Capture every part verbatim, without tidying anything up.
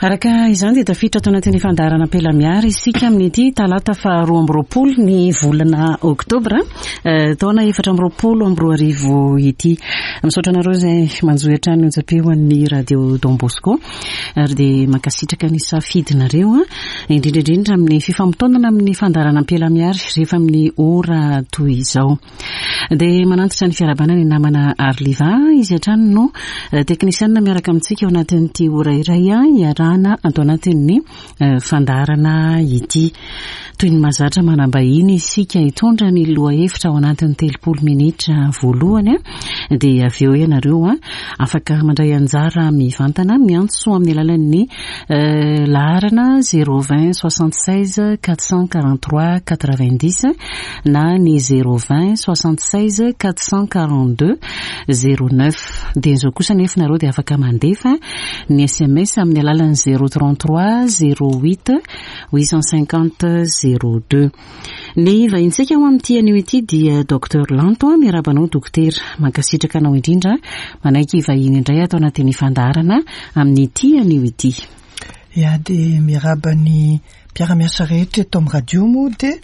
Araka izany dia tafiditra ato anatin'ny fandaharana Ampelamiary isika amin'ity talata faharoa amby roapolo ny volana oktobra eh, taona efatra amby roapolo amby roa arivo ity. Misaotra anareo izay manjohy hatrany onjam-peo an'ny Radio Don Bosco ary dia mankasitraka ny safidinareo, indrindra indrindra amin'ny fifamotoanana amin'ny fandaharana Ampelamiary rehefa amin'ny ora toy izao. Dia manantitra ny fiarahabana ny namana Arliva, izy hatrany no eh, teknisianina miaraka amintsika ao anatin'ity ora iray iarahana ato anatin'ny eh, fandaharana ity. Toy ny mahazatra, manam-bahiny isika hitondra ny lohahevitra ao anatin'ny telopolo minitra voalohany, a dia avy eo ianareo a afaka mandray anjara mivantana miantso amin'ny alalan'ny eh, laharana zéro vingt soixante seize quatre cent quarante trois quatre vingt dix na ny zéro vingt soixante seize quatre cent quarante deux zéro neuf. Dia izao kosa nefa nareo dia afaka mandefa ny S M S amin'ny alalan'ny zéro trente trois zéro huit huit cent cinquante zéro deux. Ny vahintsika ho amin'ity anio ity dia Docteur Lanto. Miarahaba anao, dokotera, mankasitraka anao indrindra manaiky vahiny indray ato anatin'ny fandaharana amin'ity anio ity. Ya, dia miarahaba ny mpiara-miasa rehetra eto amin'ny radio moa, dia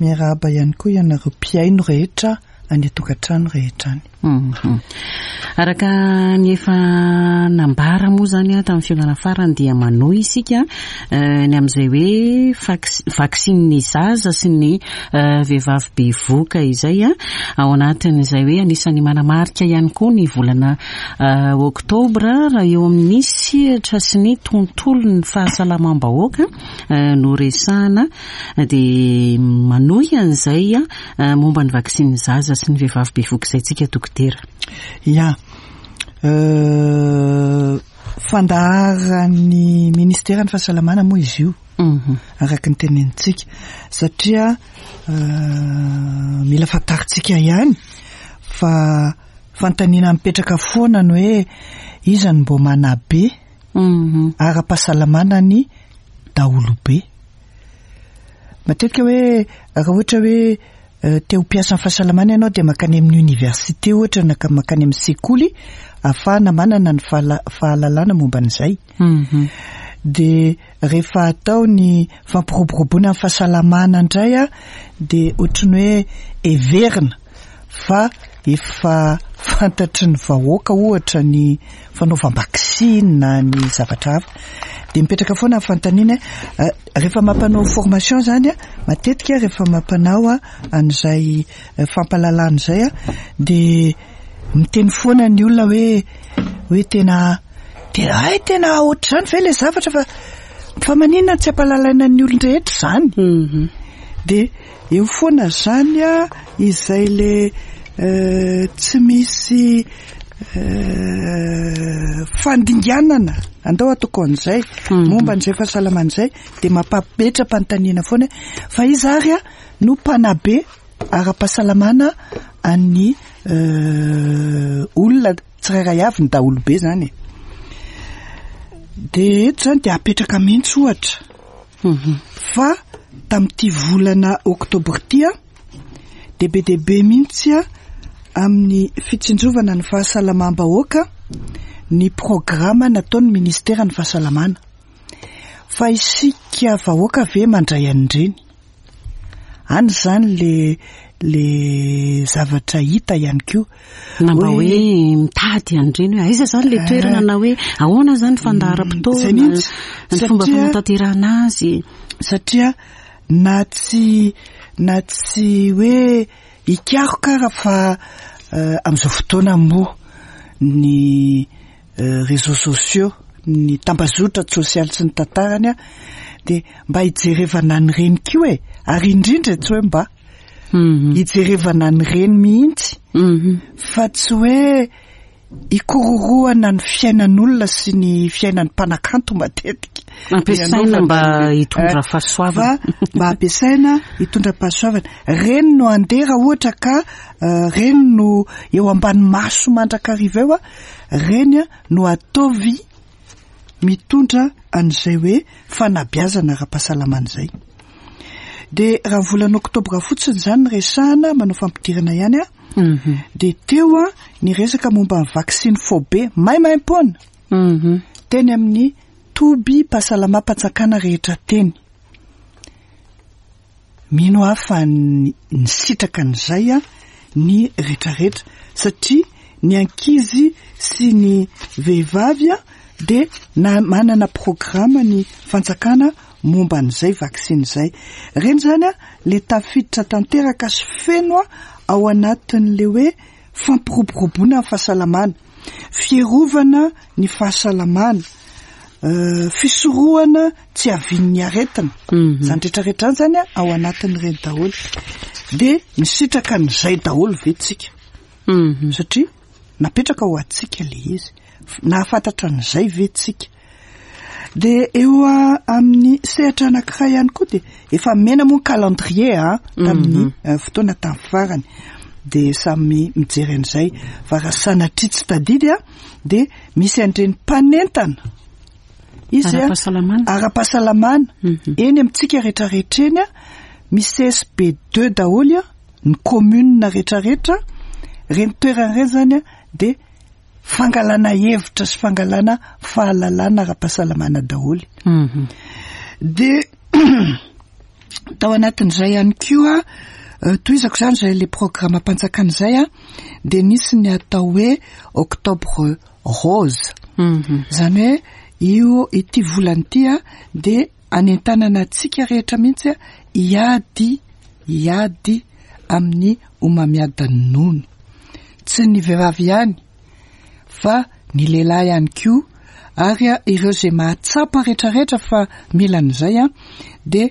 miarahaba ihany koa ianareo mpihaino rehetra any an-tokantrano rehetra any. Mhm. Araka ny efa nambara moa zany a tamin'ny fihaonana farany, dia manohy isika eh, ny amin'izay hoe vax- vaksiny zaza sy ny eh, vehivavy bevoka izay a ao anatin'izay hoe anisan'ny manamarika ihany koa ny volana eh, oktobra raha eo amin'ny sehatra sy ny tontolo ny fahasalamam-bahoaka eh, no resahana. Dia manohy an'izay a eh, momba ny vaksiny zaza sy ny vehivavy bevoka izay tsika, dokotera. Ya, euh, fandaharan'ny ministeran'ny fahasalamana moa izy io, Mhm. araka ny tenenintsika, satria euh, mila fantarintsika ihany fa fanontaniana mipetraka foana ny hoe iza no mbo manabe Mhm. ara-pahasalamana ny daholobe. Matetika hoe raha ohatra hoe eh, te ho mpiasan'ny fahasalamana ianao, dia mankany amin'ny université ohatra na ka mankany amin'ny sekoly ahafahana manana ny fahala- fahalalana momba an'izay. Mhm. De rehefa atao ny fampiroboroboana ny fahasalamana indray a de ohatrany hoe everina fa efa fantatry ny vahoaka ohatra ny fanaovam-baksiny na ny zavatra hafa. De mipetraka foana ny fanontaniana hoe, eh, rehefa mampanao formation zany a matetika rehefa mampanao a an'izay eh, fampahalalana izay a de miteny foana ny olona hoe hoe tena tena ay, tena ohatr'izany ve le zavatra, fa fa maninona tsy ampahalalaina ny olon-drehetra zany? Mhm. De eo foana zany a izay le eh, tsy misy eh, fandinganana, andao ataoko an'izay, Mhm. momba an'izay fahasalamana izay, de mampapetra-panontaniana foana hoe fa iza ary a no mpanabe ara-pahasalamana an'ny eh, olona tsirairay avy, ny daholobe zany e? De eto zany de apetraka mihitsy ohatra Mhm. fa tamin'ity volana oktobra ity a de be dia be mihitsy a amin'ny fitsinjovana ny fahasalamam-bahoaka ny programa nataon'ny ministeran'ny fahasalamana, fa isika vahoaka ve mandray an'ireny any zany le le zavatra hita ihany koa? Na mba hoe mitady an'ireny hoe aiza zany le toerana, na hoe ahoana zany Zay fandaharam-potoana, mihitsy. ny fomba Satria- fanatanterahana azy. Satria na tsy na tsy hoe hikaroka ara fa uh, amin'izao fotoana moa ny uh, réseaux sociaux, ny tambazotra sosialy sy ny tantarany a de mba hijerevana an'ireny koa e, ary indrindra tsy hoe mba Mhm. hijerevana an'ireny mihitsy, Mhm. fa tsy hoe ikororohana ny fiainan'olona sy ny fiainan'ny mpanakanto matetika. Ampiasaina mba hitondra Eh, fahasoavana. Fa mba ampiasaina hitondra fahasoavana reny no andeha raha ohatra ka eh, reny no eo ambany maso mandrakariva eo a reny a no ataovy mitondra an'izay hoe fanabeazana ara-pahasalamana izay. De raha volana oktobra fotsiny zany ny resahana, manao fampidirana ihany a Mhm. de teo a ny resaka momba ny vaksiny faobe maimaimpoana Mhm. teny amin'ny Toby-pahasalamam-panjakana rehetra teny. Mino aho fa nisitraka an'izay a ny rehetrarehetra, satria ny ankizy sy ny vehivavy a dia na manana programa ny fanjakana momba an'izay vaksiny izay. Ireny zany a le tafiditra tanteraka sy feno a ao anatin'le hoe fampiroboroboana ny fahasalamana, fiarovana ny fahasalamana, fisorohana tsy havian'ny aretina. Zany rehetrarehetra zany zany a ao anatin'ireny daholo. Dia nisitraka an'izay daholo ve tsika? Satria napetraka ho antsika le izy. Nahafantatra an'izay ve tsika? Dia eo amin'ny sehatra anankiray ihany koa dia efa mena moa ny calendrier a tamin'ny fotoana tamin'ny farany. Dia samy mijery an'izay, fa raha sanatria tsy tadidy a dia misy an'ireny mpanentana izy a Ara-pahasalamana. ara-pahasalamana eny amintsika rehetrarehetra eny a misy C S B deux daholo a ny commune rehetrarehetra reny toerana ireny zany a dia fangalana hevitra sy fangalana fahalalana ara-pahasalamana daholo. Dia tao anatin'izay ihany koa, tohizako zany zay le programme mpanjakana izay a dia nisy ny atao hoe Octobre rose. Zany hoe io ity volana ity a dia anentanana antsika rehetra mihitsy a hiady hiady amin'ny homamiadan'ny nono. Tsy ny vehivavy ihany fa ny lehilahy ihany koa, ary a ireo izay mahatsapa rehetrarehetra fa mila an'izay a dia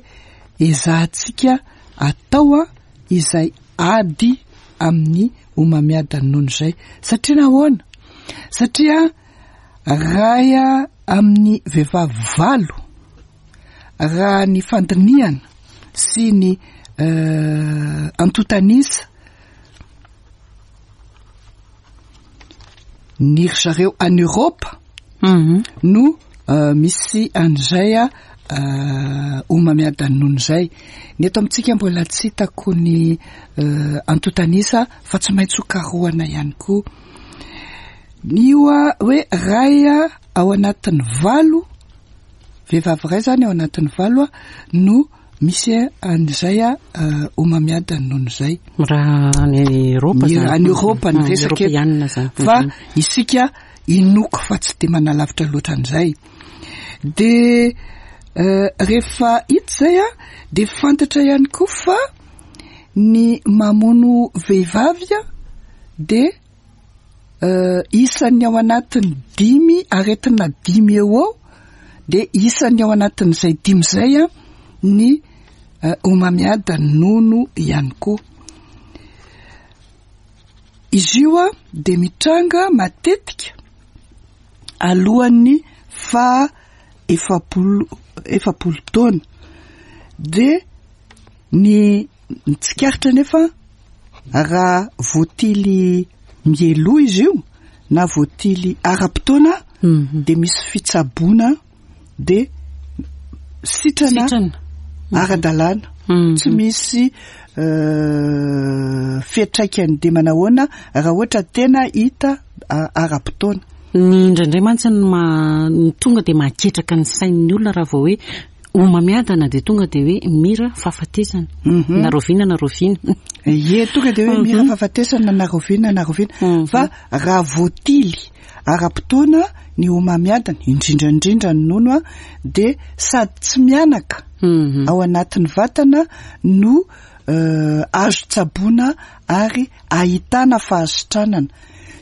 ezahantsika atao a izay ady amin'ny homamiadan'ny nono izay. Satria nahoana? Satria ray amin'ny vehivavy valo, raha ny fandinihana sy ny antontanisa ny ry zareo any Europa no misy an'izay a homamiadan'ny nono izay. Ny eto amintsika mbola tsy hitako ny antontanisa, fa tsy maintsy ho karohana ihany koa. Io a hoe ray ao anatin'ny valo, vehivavy ray zany ao anatin'ny valo a no misy an'izay a homamiadan'ny nono izay. Raha any Europa Ny zany. Any Europa ny Ah, resaka eto. Europeana zany. Fa isika inoko fa tsy de manalavitra loatra an'izay. De rehefa hita izay a de fantatra ihany koa fa ny mamono vehivavy a de isan'ny ao anatin'ny dimy aretina dimy eo eo, de isan'ny ao anatin'izay dimy izay a ny homamiadan'ny nono ihany koa. Izy io a de mitranga matetika alohan'ny faha efapolo efapolo taona. De ny ny tsikaritra nefa, raha voatily mialoha izy io na voatily ara-potoana, de misy fitsaboana de sitrana Sitrana. ara-dalàna, tsy misy fiantraikany de manahoana raha ohatra tena hita ara-potoana. Ny indraindray mantsy ny ma ny tonga de mahaketraka ny sain'ny olona raha vao hoe homamiadana, de tonga de hoe mira fahafatesana. Na roviana na roviana. Ie, tonga de hoe mira fahafatesana na roviana na roviana, fa raha voatily ara-potoana ny homamiadana, indrindra indrindra ny nono a de sady tsy mianaka ao anatin'ny vatana no azo tsaboana ary ahitana fahasitranana.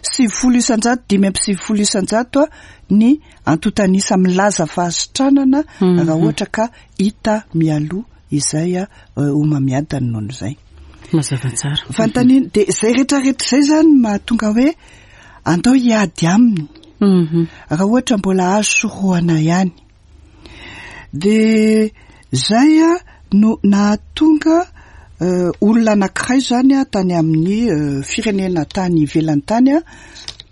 Sivifolo isan-jato, dimy amby sivifolo isan-jato a ny antontanisa milaza fahasitranana raha ohatra ka hita mialoha izay a homamiadan'ny nono izay. Mazava tsara. Fanontaniana de zay rehetrarehetra izay zany mahatonga hoe andao hiady aminy raha ohatra mbola azo sorohana ihany. De zay a no nahatonga olona anankiray zany a tany amin'ny firenena tany ivelany tany a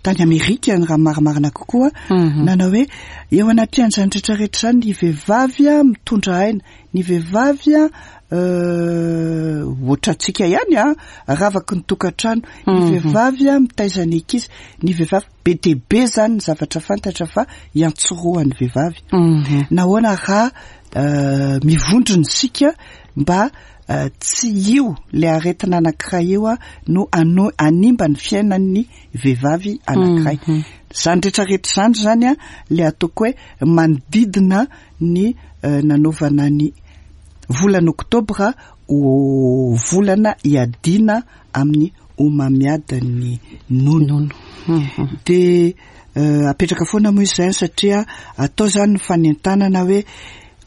Tany Amerika ny raha marimarina kokoa, Mhm. nanao hoe eo anatin'izany rehetrarehetra zany ny vehivavy a mitondra aina, ny vehivavy a euh, ohatrantsika ihany a ravaky ny tokantrano, ny Mhm. vehivavy a mitaiza ny ankizy, ny vehivavy be dia be zany ny zavatra fantatra fa iantsorohan'ny vehivavy. Mhm. Nahoana raha euh, mivondrona isika mba euh, tsy io le aretina anankiray io a no ano animba ny fiainan'ny vehivavy anankiray. Mhm. Zany rehetrarehetra zany zany a le ataoko hoe manodidina ny euh, nanaovana ny volana oktobra ho volana iadiana amin'ny homamiadan'ny nono. Nono. Mhm. De euh, apetraka foana moa izy zany satria atao zany ny fanentanana hoe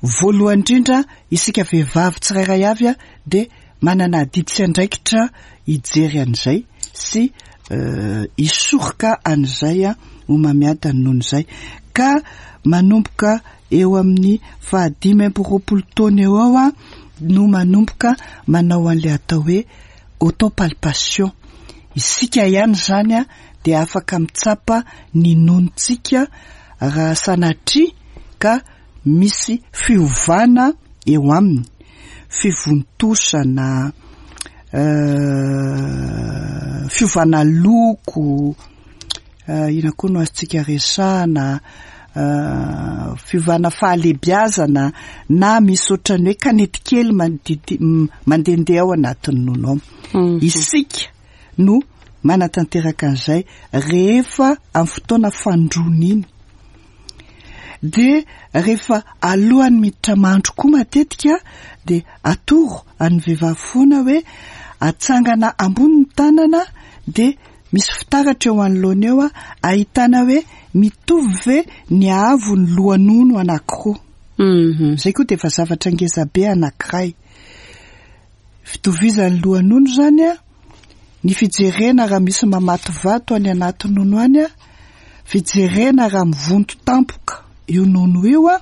voalohany indrindra isika vehivavy tsirairay avy a de manana adidy sy andraikitra hijery an'izay sy euh, hisoroka an'izay a homamiadan'ny nono izay, ka manomboka eo amin'ny fahadimy amby roapolo taona eo ao a no manomboka manao an'le atao hoe autopalpation. Isika ihany zany a de afaka mitsapa ny nonontsika raha sanatria ka misy fiovana eo aminy, fivontosana, euh, fiovana loko, euh, ina koa no azontsika resahana, euh, fiovana fahalehibiazana na misy ohatran'ny hoe kanety kely mandidy m- mandehandeha ao anatin'ny nono ao. Mhm. Isika no manatanteraka an'izay rehefa amin'ny fotoana fandroana iny. De rehefa alohan'ny miditra mandro koa matetika de atoro an'ny vehivavy foana hoe atsangana ambony ny tanana, de misy fitaratra eo anoloana eo a ahitana hoe mitovy ve ny haavon'ny lohanono anankiroa. Mhm. Zay koa de efa zavatra ngeza be anankiray. Fitovizan'ny lohanono zany a, ny fijerena raha misy mamato vato any anaty nono any a, fijerena raha mivonto tampoka io nono io a,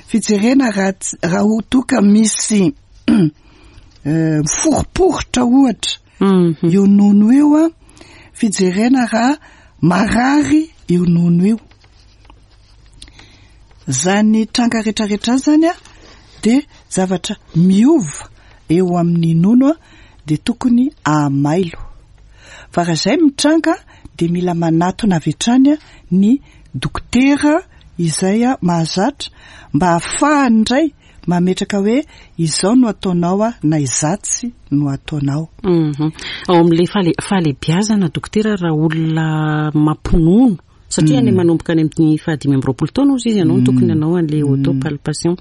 fijerena raha ts- raha ho toka misy euh, miforiporitra ohatra Mhm. io nono io a, fijerena raha marary io nono io. Zany tranga rehetrarehetra zany a de zavatra miova eo amin'ny nono a de tokony ahamailo. Fa raha izay mitranga de mila manatona avy hatrany a ny dokotera izay a mahazatra mba ahafahany indray mametraka hoe izao no ataonao a na izatsy no ataonao. Mhm. Ao amin'ilay fahale- fahalehibiazana dokotera, raha olona mampinono, satria any manomboka any amin'ny fahadimy amby roapolo taona ozy izy ianao no tokony hanao an'le autopalpation.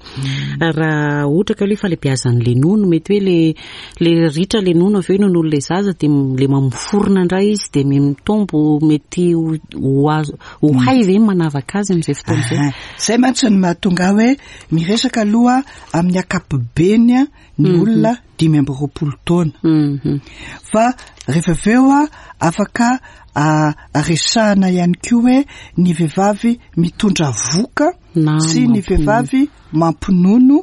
Raha ohatra ka hoe fahalehibiazan'le nono, mety hoe le le ritra le nono avy eo nono le zaza, de m- le mamoforona indray izy de mitombo, mety ho ho azo ho hay ve ny manavaka azy amin'izay fotoana izay? Aha. Zay mantsy ny mahatonga hoe miresaka aloha amin'ny ankapobeny a ny olona dimy amby roapolo taona. Mhm. Fa rehefa avy eo a afaka a resahana ihany koa hoe ny vehivavy mitondra voka Na sy ny mampinono. vehivavy mampinono,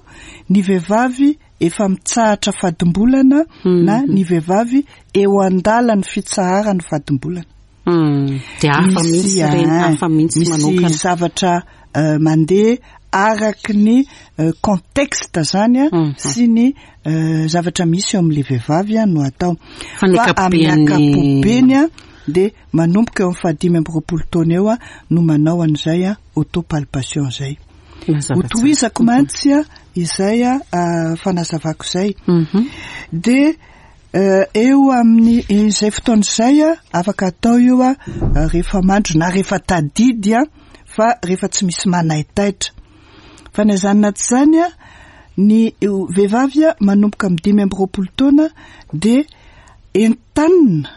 ny vehivavy efa mitsahatra fadimbolana Mhm. na ny vehivavy eo an-dalan'ny fitsaharan'ny fadimbolana. Mm. De hafa mihitsy ah, reny, hafa mihitsy misy manokana. zavatra euh, mandeha araky ny euh, contexte zany a Mhm. sy ny euh, zavatra misy eo amin'le vehivavy a no atao. Fa ny Fa amin'ny ankapobeny- ankapobeny a de manomboka eo amin'ny fahadimy amby roapolo taona eo a no manao an'izay a autopalpation zay. Mazava tsara. Hotohizako mantsy a izay a ah, fanazavako izay. Mhm. De euh, eo amin'ny izay fotoana izay a afaka atao io a rehefa mandro na rehefa tadidy a, fa rehefa tsy misy manaitaitra. Fa na izany na tsy izany a ny vehivavy a manomboka amin'ny dimy amby roapolo taona de entanina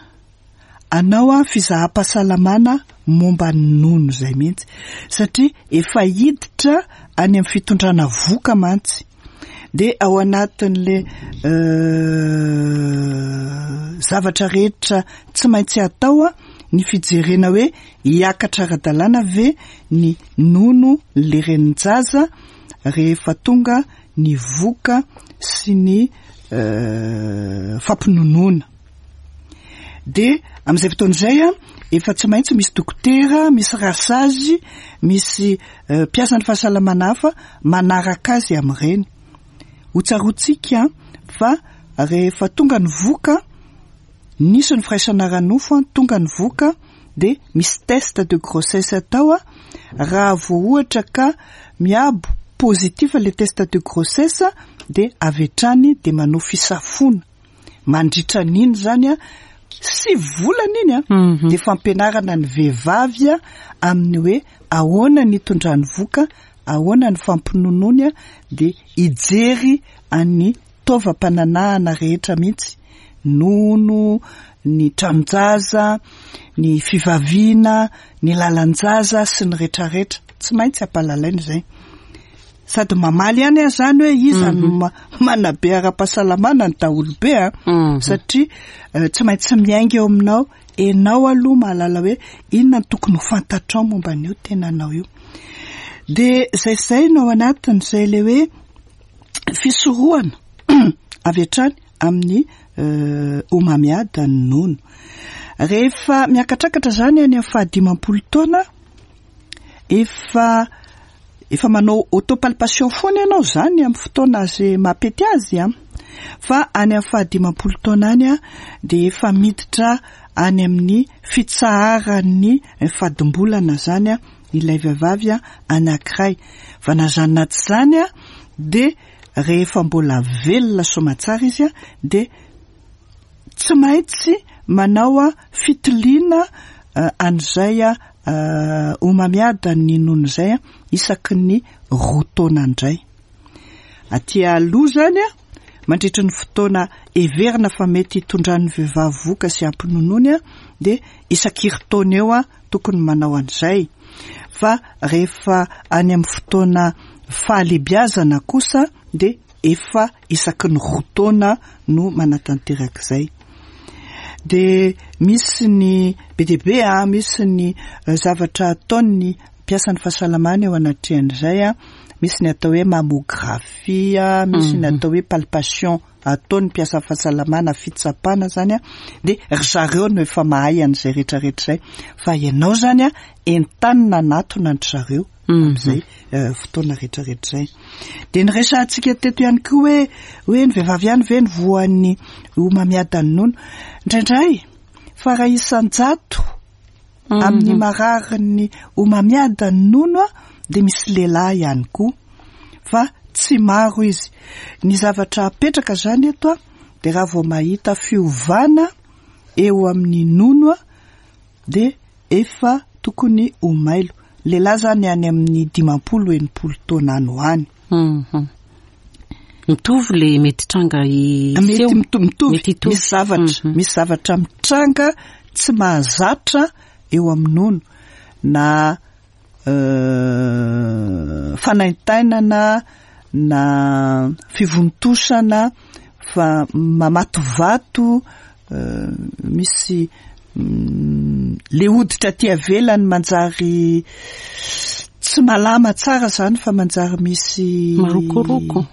anao a fizaham-pahasalamana momba ny nono izay mihitsy, satria efa hiditra any amin'ny fitondrana voka mantsy. De ao anatin'le euh, zavatra rehetra tsy maintsy atao a ny fijerena hoe hiakatra ara-dalàna ve ny nono le renin-jaza rehefa tonga ny voka sy ny euh, fampinonoana. De amin'izay fotoana izay a, efa tsy maintsy misy dokotera, misy rasazy, misy mpiasan'ny fahasalamana hafa manaraka azy amin'ireny. Ho tsaroantsika fa rehefa tonga ny voka, nisy ny firaisana ara-nofo, tonga ny voka, de misy test de grossesse atao a. Raha vao ohatra ka miabo positif le test de grossesse, de avy hatrany de manao fisafoana mandritra n'iny zany a, sivy volana iny a, de fampianarana ny vehivavy a amin'ny hoe ahoana ny hitondrany voka, ahoana ny fampinonoany a, de hijery any taovam-pananahana rehetra mihitsy, nono, ny tranon-jaza, ny fivaviana, ny lalan-jaza sy ny rehetrarehetra. Tsy maintsy ampahalalaina izay. Sady mamaly ihany aho zany hoe iza no manabe ara-pahasalamana ny daholobe a, satria tsy maintsy miainga eo aminao enao aloha mahalala hoe inona no tokony ho fantatrao momba an'io tenanao io. De zay zay no ao anatin'izay le hoe fisorohana avy hatrany amin'ny homamiadan'ny nono. Rehefa miakatrakatra zany any amin'ny fahadimampolo taona, efa efa manao autopalpation foana ianao zany amin'ny fotoana zay mampety azy a, fa any amin'ny fahadimampolo taona any a, de efa miditra any amin'ny fitsaharan'ny fadimbolana zany a ilay vehivavy a anankiray. Fa na zany na tsy zany a, de rehefa mbola velona soamantsara izy a, de tsy maintsy manao a fitiliana an'izay a homamiadan'ny nono izay a isaky ny roa taona indray. Aty aloha zany a, mandritra ny fotoana heverina fa mety hitondran'ny vehivavy voka sy ampinonoany a, de isaky herintaona eo a tokony manao an'izay. Fa rehefa any amin'ny fotoana fahalehibiazana kosa, de efa isaky ny roa taona no manatanteraka izay. De misy ny be dia be a, misy ny zavatra ataon'ny mpiasan'ny fahasalamana eo anatrehan'izay a, misy ny atao hoe mammographie, misy ny atao hoe palpation ataon'ny mpiasa fahasalamana, fitsapana zany a, de ry zareo no efa mahay an'izay rehetrarehetra izay. Fa ianao zany a, entanina anatona an-dry zareo amin'izay fotoana rehetrarehetra izay. De niresahantsika teto ihany koa hoe hoe ny vehivavy ihany ve ny voan'ny homamiadan'ny nono. Indraindray fa raha isan-jato amin'ny mararin'ny homamiadan'ny nono a, de misy lehilahy ihany koa, fa tsy maro izy. Ny zavatra apetraka zany eto a, de raha vao mahita fiovana eo amin'ny nono a, de efa tokony ho mailo. Lehilahy zany any amin'ny dimampolo enimpolo taona any ho any. Mitovy le mety tranga Mety mitovy, misy zavatra, misy zavatra mitranga tsy mahazatra eo amin'ny nono, na fanaintainana, na fivontosana, fa mamatovato, misy le hoditra aty avelany manjary tsy malama tsara zany, fa manjary misy marokoroko,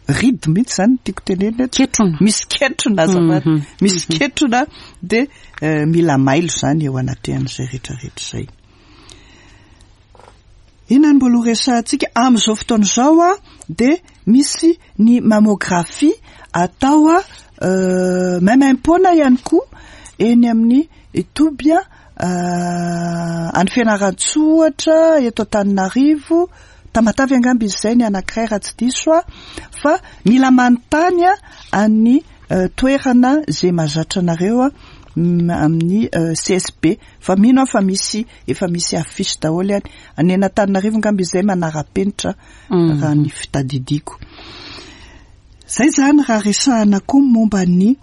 ridy mihitsy zany tiako tenenina eto. Ketrona. Misy ketrona azafady, misy ketrona, de mila mailo zany eo anatrehan'izay rehetrarehetra izay. Inona no mbola ho resahantsika amin'izao fotoana izao a? De misy ny mammographie atao a maimaimpoana ihany koa eny amin'ny toby a any Fianarantsoa ohatra, eto Antananarivo, Tamatave angamba izy izay ny anankiray raha tsy diso a, fa mila manontany a any toerana izay mahazatra anareo a amin'ny C S B, fa mino aho fa misy, efa misy affiche daholo any. Any Antananarivo angamba izy izay manara-penitra raha ny fitadidiko. Zay zany raha resahana koa momba ny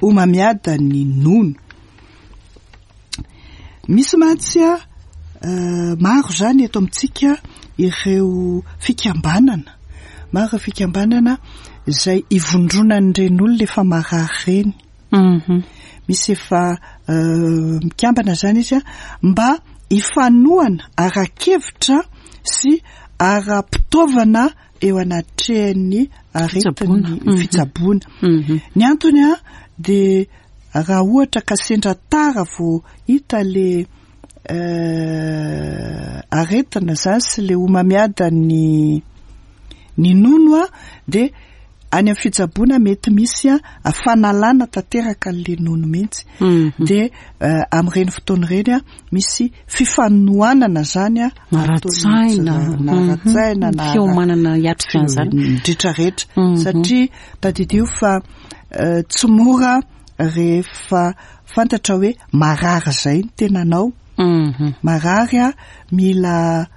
homamiadan'ny nono. Misy mantsy a maro zany eto amintsika ireo fikambanana, maro fikambanana izay ivondronan'ireny olona efa marary ireny. Misy efa mikambana zany izy a mba hifanohana ara-kevitra sy ara-pitaovana eo anatrehan'ny aretin'ny fitsaboana. Ny antony a dia raha ohatra ka sendra tara vao hita le aretina zany sy le homamiadan'ny ny nono a dia any amin'ny fitsaboana mety misy a fanalana tanteraka an'le nono mihitsy. Dia amin'ireny fotoana ireny a misy fifanohanana zany a ara-tsaina, na ara-tsaina na fiomanana hiatrika an'izany rehetrarehetra, satria tadidio fa tsy mora rehefa fantatra hoe marary zay ny tenanao, marary a mila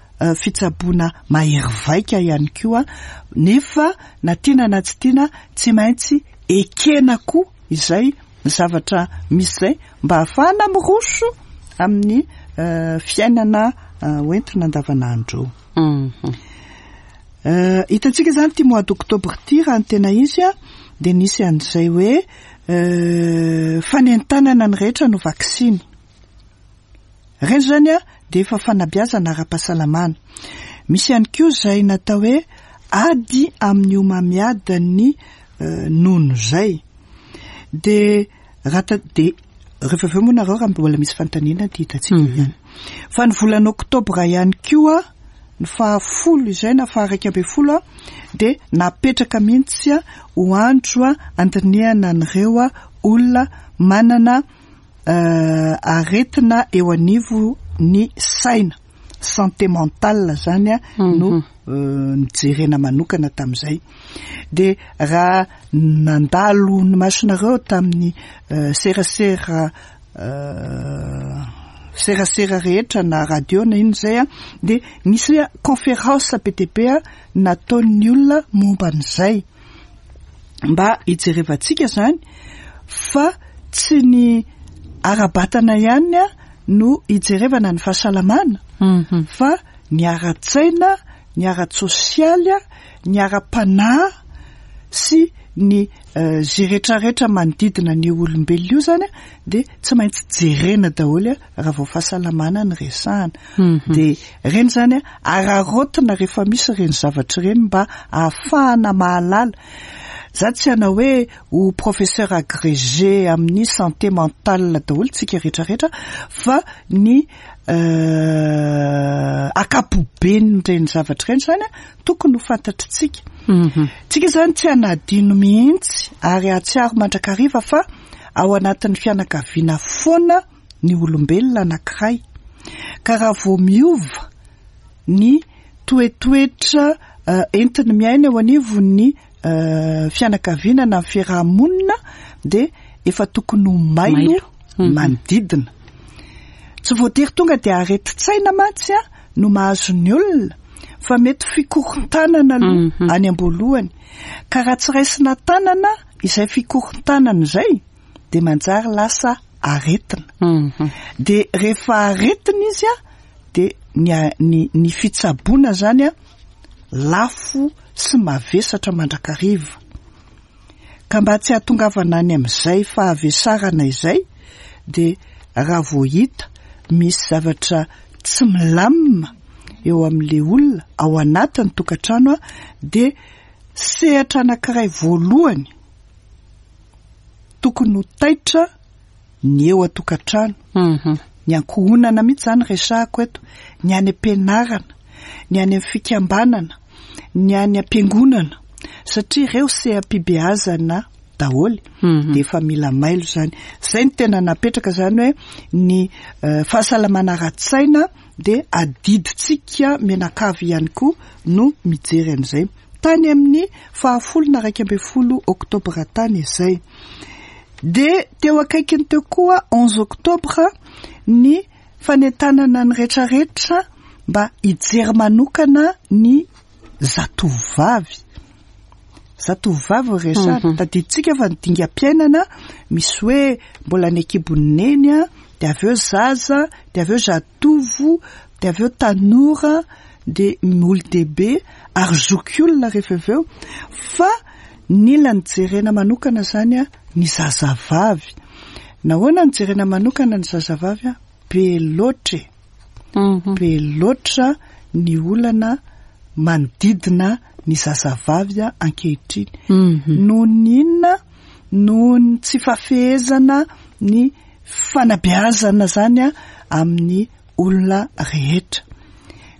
fitsaboana mahery vaika ihany koa, nefa na tiana na tsy tiana tsy maintsy ekena koa izay zavatra misy zay mba ahafahana miroso amin'ny fiainana hoentina andavanandro. Hitantsika zany ty mois d'octobre ty, raha ny tena izy a dia nisy an'izay hoe fanentanana ny rehetra no vaksiny reny zany a dia efa fanabeazana ara-pahasalamana. Misy ihany koa izay natao hoe ady amin'ny homamiadan'ny nono zay. Dia raha dia rehefa avy eo moa nareo raha mbola misy fanontaniana dia hitantsika ihany. Fa ny volana oktobra ihany koa, ny fahafolo izay na faha-iraika ambin'ny folo a dia napetraka mihitsy a ho andro a andinihana an'ireo olona manana aretina eo anivo ny saina, santé mentale zany a no nijerena manokana tamin'izay. Dia raha nandalo ny masonareo tamin'ny serasera serasera rehetra na radio na ino zay a dia nisy conférence be dia be nataon'ny olona momba an'izay mba hijerevantsika zany fa tsy ny ara-batana ihany a no hijerevana ny fahasalamana fa ny ara-tsaina, ny ara-tsosialy a, ny ara-panahy sy ny zay rehetrarehetra manodidina ny olombelona io zany a dia tsy maintsy jerena daholo a raha vao fahasalamana ny resahana. Dia reny zany a araraotina rehefa misy ireny zavatra ireny mba ahafahana mahalala. Za tsy hanao hoe ho professeur agrégé amin'ny santé mentale daholo tsika rehetrarehetra, fa ny ankapoben'ireny zavatra ireny zany a tokony ho fantatritsika. Tsika zany tsy hanadino mihitsy ary hahatsiaro mandrakariva fa ao anatin'ny fianakaviana foana ny olombelona anankiray. Ka raha vao miova ny toetoetra entiny miaina eo anivon'ny fianakaviana na fiarahamonina dia efa tokony ho mailo manodidina. Tsy voatery tonga dia aretin-tsaina mantsy a no mahazo ny olona, fa mety fikorontanana aloha any am-boalohany. Ka raha tsy raisina tanana izay fikorontanana izay dia manjary lasa aretina. Dia rehefa aretina izy a dia ny ny ny fitsaboana zany a lafo sy mavesatra mandrakariva. Ka mba tsy hahatongavana any amin'izay fahavesarana izay dia raha vao hita misy zavatra tsy milamina eo amin'ilay olona ao anatin'ny tokantrano a dia sehatra anankiray voalohany tokony ho taitra ny eo an-tokantrano, ny ankohonana mihitsy zany resahako eto, ny any am-pianarana, ny any amin'ny fikambanana, ny any am-piangonana, satria ireo seha-pibeazana daholo dia efa mila mailo zany. Zay ny tena napetraka zany hoe ny fahasalamana ara-tsaina dia adidintsika mianakavy ihany koa no mijery an'izay. Tany amin'ny fahafolo na iraika ambin'ny folo oktobra tany izay. Dia teo akaikiny teo koa onze octobre ny fanentanana ny rehetrarehetra mba hijery manokana ny zatovovavy. Zatovovavy resahana, tadidintsika fa ny dingam-piainana misy hoe mbola ny ankibon'ny neny a, dia avy eo zaza, dia avy eo zatovo, dia avy eo tanora, dia olon-dehibe ary zokiolona rehefa avy eo. Fa nila nijerena manokana zany a ny zazavavy. Nahoana nijerena manokana ny zazavavy a? Be loatra e. Be loatra ny olana manodidina ny zazavavy ankehitriny. Noho ny inona? Noho ny tsy fahafehezana ny fanabeazana zany amin'ny olona rehetra.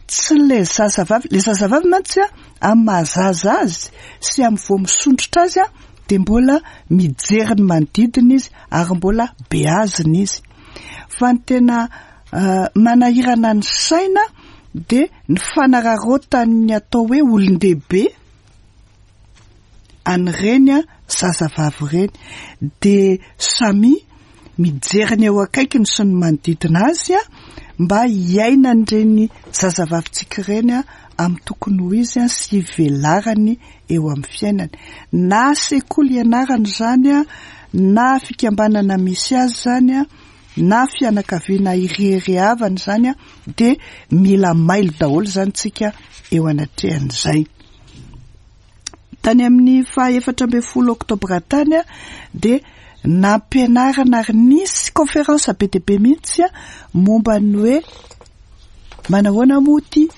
Tsy le zazavavy, le zazavavy mantsy amin'ny mahazaza azy sy amin'ny vao misondrotra azy dia mbola mijery ny manodidina izy ary mbola beazina izy. Fa ny tena manahirana ny saina dia ny fanararaotan'ny atao hoe olon-dehibe an'ireny zazavavy ireny. Dia samy mijery ny eo akaikiny sy ny manodidina azy mba hiainan'ireny zazavavintsika ireny amin'ny tokony ho izy sy hivelarany eo amin'ny fiainany. Na sekoly ianarana izany, na fikambanana misy azy izany, na fianakaviana ireharehavana izany, dia mila mailo daholo izany tsika eo anatrehan'izay. Tany amin'ny faha efatra ambin'ny folo oktobra tany dia nampianarana ary nisy conférence be dia be mihitsy momba ny hoe manahoana moa ity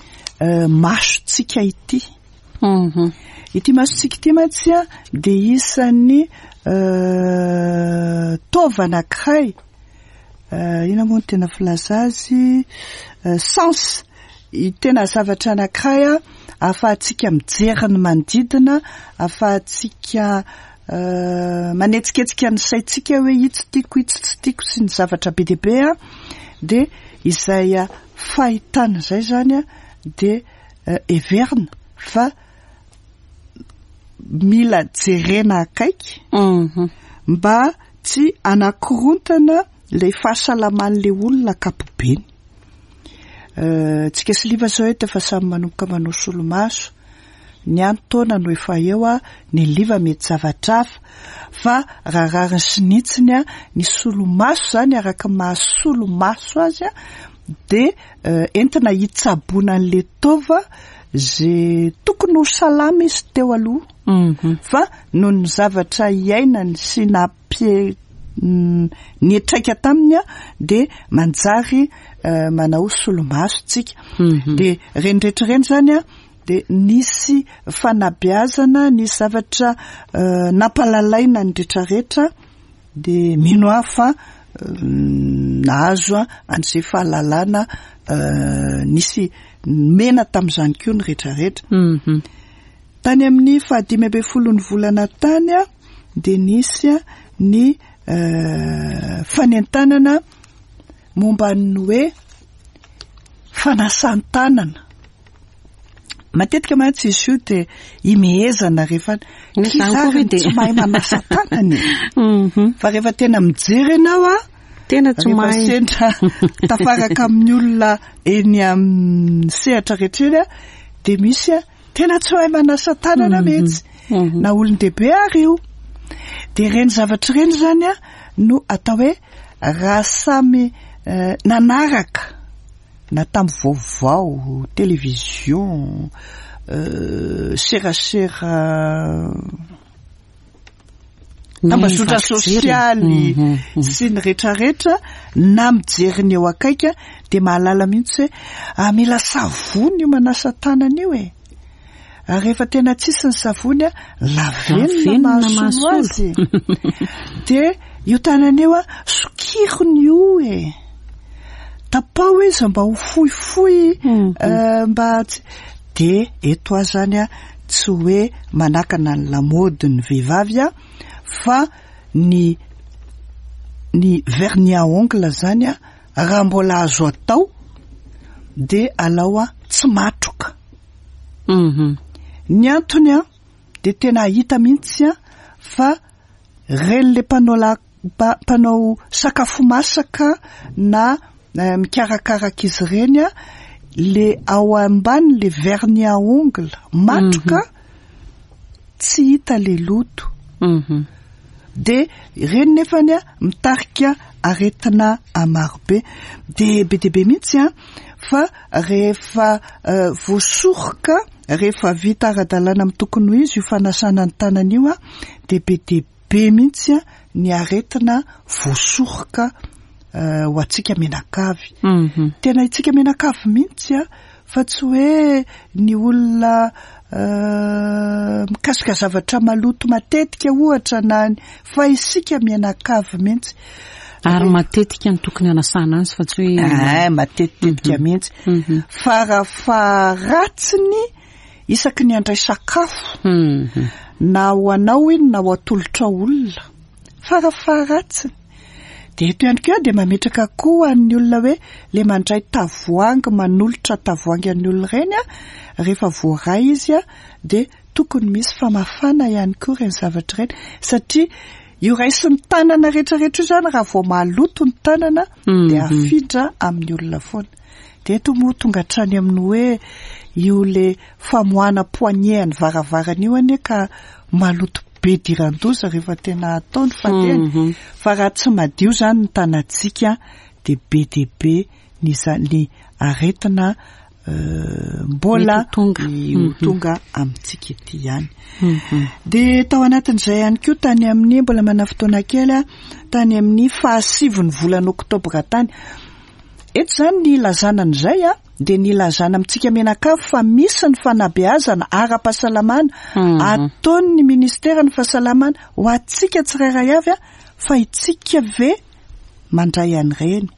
masontsika ity. Ity masontsika ity mantsy dia isan'ny taova anankiray, inona moa no tena filaza azy, sens, tena zavatra anankiray ahafahantsika mijery ny manodidina, ahafahantsika manetsiketsika ny saintsika hoe itsy tiako, itsy tsy tiako sy ny zavatra be dia be. Dia izay fahitana izay zany dia heverina fa mila jerena akaiky mba tsy anakorontana ilay fahasalaman'ilay olona ankapobeny. Tsika sy Liva zao eto efa samy manomboka manao solomaso, ny any taona no efa eo, ny Liva mety zavatra hafa, fa raha rariny sy nitsiny ny solomaso zany araka ny mahasolomaso azy dia entina hitsaboana an'ilay taova zay tokony ho salama izy teo aloha, fa noho ny zavatra iainany sy nampie niatraika taminy dia manjary manao solomaso tsika. Dia ireny rehetra ireny zany dia nisy fanabeazana, nisy zavatra nampalalaina ny rehetrarehetra, dia mino aho fa nahazo an'izay fahalalana nisy mena tamin'izany koa ny rehetrarehetra. Tany amin'ny fahadimy ambin'ny folo ny volana tany dia nisy ny fanentanana momba ny hoe fanasan-tanana. Matetika mantsy izy io dia imehezana rehefa kizary tsy mahay manasa tanana e. Fa rehefa tena mijery ianao a, tena tsy rehefa mahay. Sendra tafaraka amin'ny olona eny amin'ny sehatra rehetra eny a, dia misy a tena tsy mahay manasa tanana mihitsy, na olon-dehibe ary io. Dia ireny zavatra ireny zany a no atao hoe raha samy nanaraka na tamin'ny vaovao, télévision, serasera, tambazotra sosialy sy ny rehetrarehetra, na mijery ny eo akaiky dia mahalala mihitsy hoe mila savony io manasa tanana io e. Ary rehefa tena tsisy ny savony a, lavenona mahasolo azy. Dia io tanana io a, sokirony io e. Tapao izy mba ho fohifohy, mba tsy dia eto aho zany a tsy hoe manakana ny lamaody ny vehivavy a, fa ny ny vernis à ongle zany a raha mbola azo atao dia alao a tsy matroka. Ny antony a dia tena hita mihitsy a fa reny le mpanao la mpanao sakafo masaka na mikarakara ankizy ireny a, le ao ambany le vernis à ongle matroka tsy hita le loto. Dia ireny nefany a mitarika aretina marobe. Dia be dia be mihitsy a fa rehefa voasoroka, rehefa vita ara-dalàna amin'ny tokony ho izy io fanasana ny tanana io a, dia be dia be mihitsy a ny aretina voasoroka ho antsika menakavy. Tena itsika menakavy mihitsy a Fa tsy hoe ny olona mikasika zavatra maloto matetika ohatra na fa isika mianakavy mihitsy. Ary matetika ny tokony hanasana azy fa tsy hoe eh matetitetika mihitsy. Fa raha faharatsiny isaky ny handray sakafo na ho anao iny na ho atolotra olona, fa raha faharatsiny. Dia eto ihany koa dia mametraka koa an'ny olona hoe le mandray tavoahangy, manolotra tavoahangy an'ny olona ireny a, rehefa voaray izy a dia tokony misy famafana ihany koa ireny zavatra ireny, satria io raisin'ny tanana rehetrarehetra io zany raha vao maloto ny tanana dia afindra amin'ny olona foana. Dia eto moa tonga hatrany amin'ny hoe io le famoahana poignée ny varavarana io anie ka maloto be diran-doza rehefa tena atao ny fandehany. Fa raha tsy madio zany ny tanantsika dia be dia be ny ny aretina mbola ho tonga amintsika ety ihany. Dia tao anatin'izay ihany koa tany amin'ny mbola manana fotoana kely a, tany amin'ny fahasivy ny volana oktobra tany. Eto zany ny ilazana an'izay a, dia ny ilazana amintsika mianakavy fa misy ny fanabeazana ara-pahasalamana ataon'ny ministeran'ny fahasalamana ho antsika tsirairay avy a, fa itsika ve mandray an'ireny?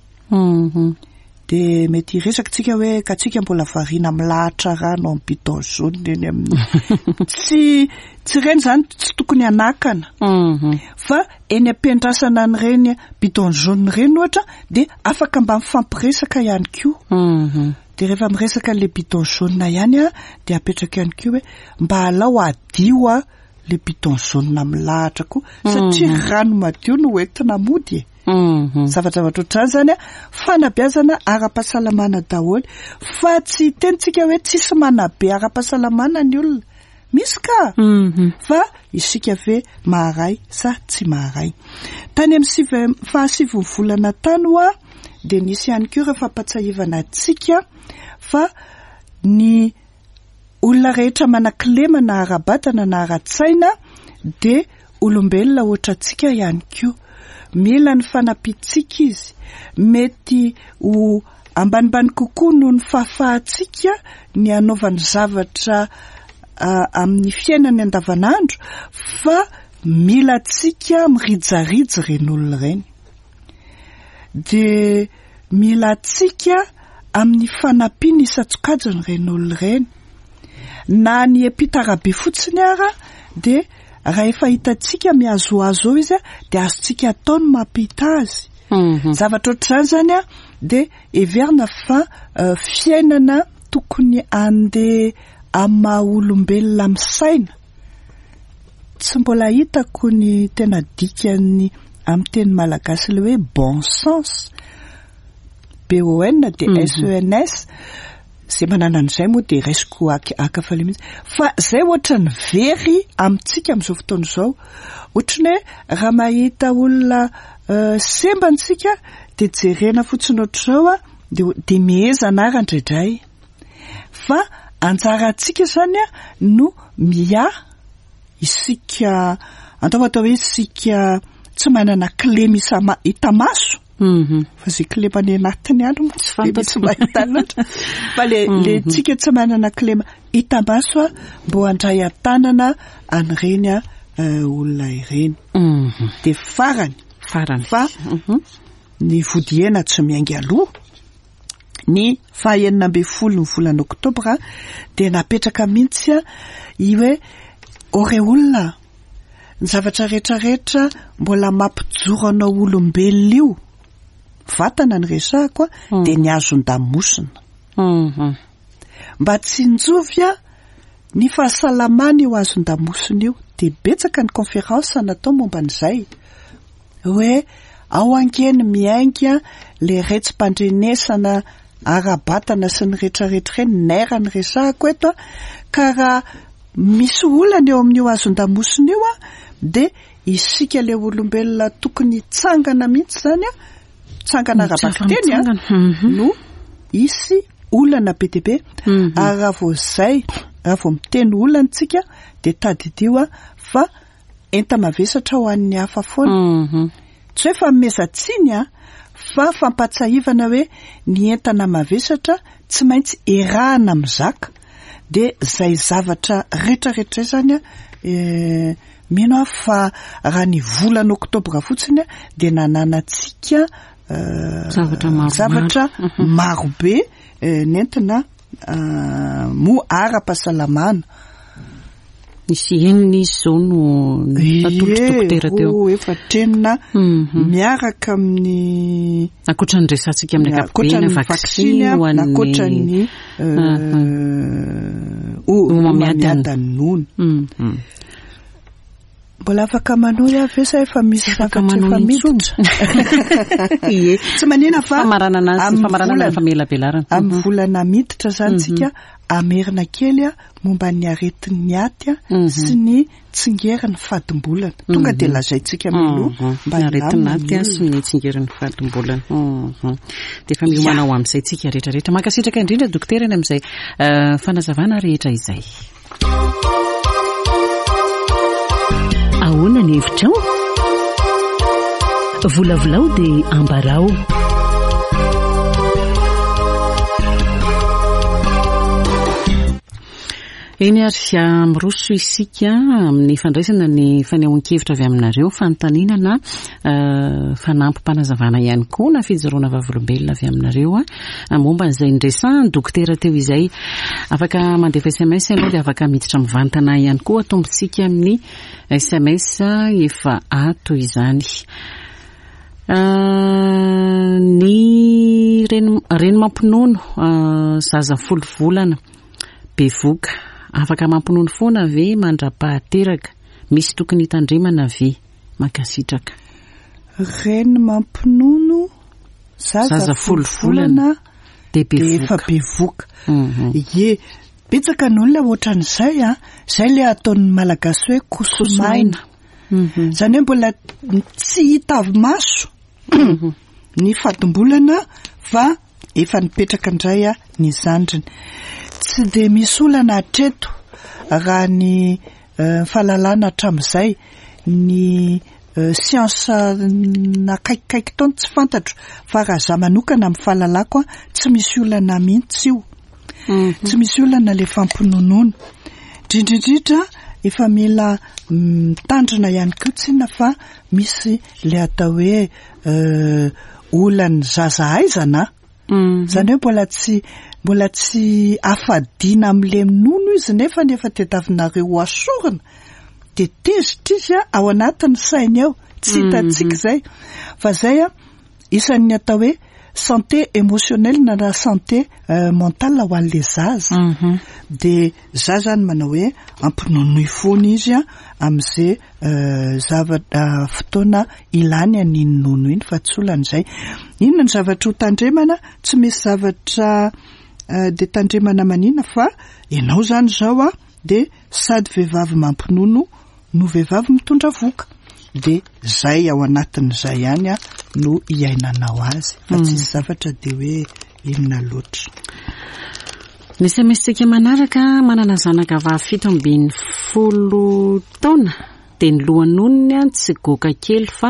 Dia mety hiresaka tsika hoe ka tsika mbola variana milahatra rano amin'ny bidon jaune eny amin'ny tsy tsy ireny zany tsy tokony hanakana, fa eny am-piandrasana an'ireny bidon jaune ireny ohatra dia afaka mba mifampiresaka ihany koa. Dia rehefa miresaka le bidon jaune ihany a, dia apetraka ihany koa hoe mba alao adio a le bidon jaune milahatra koa, satria rano madio no entina mody e. Zavatra-zavatra ohatr'izany zany a, fanabeazana ara-pahasalamana daholo, fa tsy tenitsika hoe tsisy manabe ara-pahasalamana ny olona. Misy ka, fa isika ve maharay sa tsy maharay? Tany amin'ny sivy fahasivy ny volana tany hoa dia nisy ihany koa ireo fampatsiahivana antsika fa ny olona rehetra manan-kilema na ara-batana na ara-tsaina dia olombelona ohatra antsika ihany koa. Mila ny fanampiantsika izy, mety ho ambanimbany kokoa noho ny fahafahantsika ny hanaovany zavatra amin'ny fiainany andavanandro, fa mila antsika mirijarija ireny olona ireny. Dia mila antsika amin'ny fanampiana isan-tsokajiny ireny olona ireny. Na ny mpitarabe fotsiny ara dia raha efa hitantsika mihazohazo eo izy a, dia azontsika atao ny mampita azy. Zavatra ohatr'izany zany a, dia heverina fa fiainana tokony andeha amin'ny maha olombelona misaina. Tsy mbola hitako ny tena dikany amin'ny teny malagasy le hoe bon sens, B O N D S E N S. Zay manana an'izay moa dia raisiko akafaly mihitsy. Fa zay ohatra ny very amintsika amin'izao fotoana izao. Ohatrany hoe raha mahita olona sembana isika dia jerena fotsiny ohatr'izao a, dia dia mihezana ara indraindray. Fa anjarantsika zany a no miahy isika, atao atao hoe isika tsy manana kilema isa- hita maso. Fa zay kilema any anatiny ihany moa tsy fantatra. Tsy mahita loatra. Fa le le tsika tsy manana kilema hita maso a, mbo handray an-tanana an'ireny a olona ireny. Dia farany. Farany. Fa ny vodiena tsy miainga aloha. Ny fahaenina ambin'ny folo ny volana oktobra dia napetraka mihitsy a i hoe ore olona, ny zavatra rehetrarehetra mbola mampijoro anao olombelona io, vatana ny resahako a, dia ny hazon-damosina. Mba tsinjovy a ny fahasalamana io hazon-damosina io. Dia betsaka ny conférence natao momba an'izay hoe ao ankeny miainga le retsi-pandrenesana ara-batana sy ny rehetrarehetra ireny, nerf ny resahako eto a, ka raha misy olana eo amin'io hazon-damosina io a, dia isika le olombelona tokony hitsangana mihitsy zany a, tsangana ara-bakiteny a, no hisy olana be dia be. Ary raha vao zay, raha vao miteny olana tsika dia tadidio a fa enta-mavesatra ho an'ny hafa foana. Tsy hoe fanomezan-tsiny a, Fa fampahatsiahivana hoe ny entana mavesatra tsy maintsy erahana mizaka, de zay zavatra rehetrarehetra zay zany a, eh, mino aho fa raha ny volana oktobra fotsiny a de nananantsika eh, Zavatra maromaro. zavatra marobe eh, nentina ah, moa ara-pahasalamana. Nisy enina izy zao no natolotry dokotera teo. Roa, efatra, enina, Mhm. miaraka amin'ny Ankoatra ny resantsika amin'ny ankapobeny, ankoatra ny vaksiny ho an'ny ankoatra ny Homamiadana. homamiadan'ny nono. Mhm. Mbola afaka manohy aho ve sa efa misy Tsy afaka zavatra efa manohy miditra? Ie. Tsy manina fa Famaranana azy, amin'ny famaranana volana- famelabelarana. amin'ny volana miditra zany tsika amerina kely a momba ny aretin'ny aty a Mhm. sy ny tsingerin'ny fadimbolana. Tonga dia lazaintsika mialoha Mhm. mba Ny aretina hilamina aty a ny sy ny tsingerin'ny fadimbolana. Mhm. Dia efa miomana ho amin'izay tsika rehetrarehetra. Mankasitraka indrindra dokotera ny amin'izay eh, fanazavana rehetra izay. Ahoana ny hevitrao? Volavolao dia ambarao. Eny ary ah, miroso isika amin'ny fandraisana ny fanehoan-kevitra avy aminareo, fanontaniana na eh, fanampim-panazavana ihany koa na fijoroana vavolombelona avy aminareo a momba an'izay niresahan'ny dokotera teo izay. Afaka mandefa S M S ianao dia afaka miditra mivantana ihany koa, atombontsika amin'ny S M S efa ato izany. Ah, ny reny, reny mampinono, ah, zaza folo volana bevoka, afaka mampinono foana ve mandra-pahateraka? Misy tokony hitandremana ve? Mankasitraka. Reny mampinono zaza Zaza folo folo volana volana dia dia efa bevoka. bevoka. Mhm. Ie, betsaka ny olona ohatran'izay a, zay le ataon'ny Malagasy hoe kosomaina. Mhm. Zany hoe mbola tsy hita avy maso ny fadimbolana fa efa nipetraka indray a ny zandriny. Tsy dia misy olana hatreto raha ny, eh, fahalalana hatramin'izay, ny, eh, siansa nakaikikaiky taona tsy fantatro, fa raha za manokana amin'ny fahalalako a, tsy misy olana mihitsy io. Mhm. Tsy misy olana le fampinonoana. Indrindrindrindra efa mila mitandrina ihany koa tsinona fa misy le atao hoe, eh, olan'ny zaza aizana. Mhm. Zany hoe mbola tsy, mbola tsy afadiana amin'le nono izy nefa nefa tadiavinareo ho asorina. De tezitra izy a, ao anatin'ny sainy ao, tsy hitantsika izay. Fa zay a, isan'ny atao hoe santé émotionnelle na la santé, euh, mentale ho an'le zaza. Mhm. De za zany manao hoe ampinonoy foana izy a, amin'izay, euh, zavatra, fotoana ilany an'iny nono iny fa tsy olana izay. Inona ny zavatra ho tandremana? Tsy misy zavatra, euh, de tandremana manina fa ianao zany zao a, de sady vehivavy mampinono no vehivavy mitondra vohoka. De zay ao anatin'izay ihany a no iainanao azy fa Mm. tsisy zavatra de hoe inona loatra. Ny S M S-tsika manaraka, manana zanaka vavy fito ambin'ny folo taona, de ny lohanonony a tsy goaka kely fa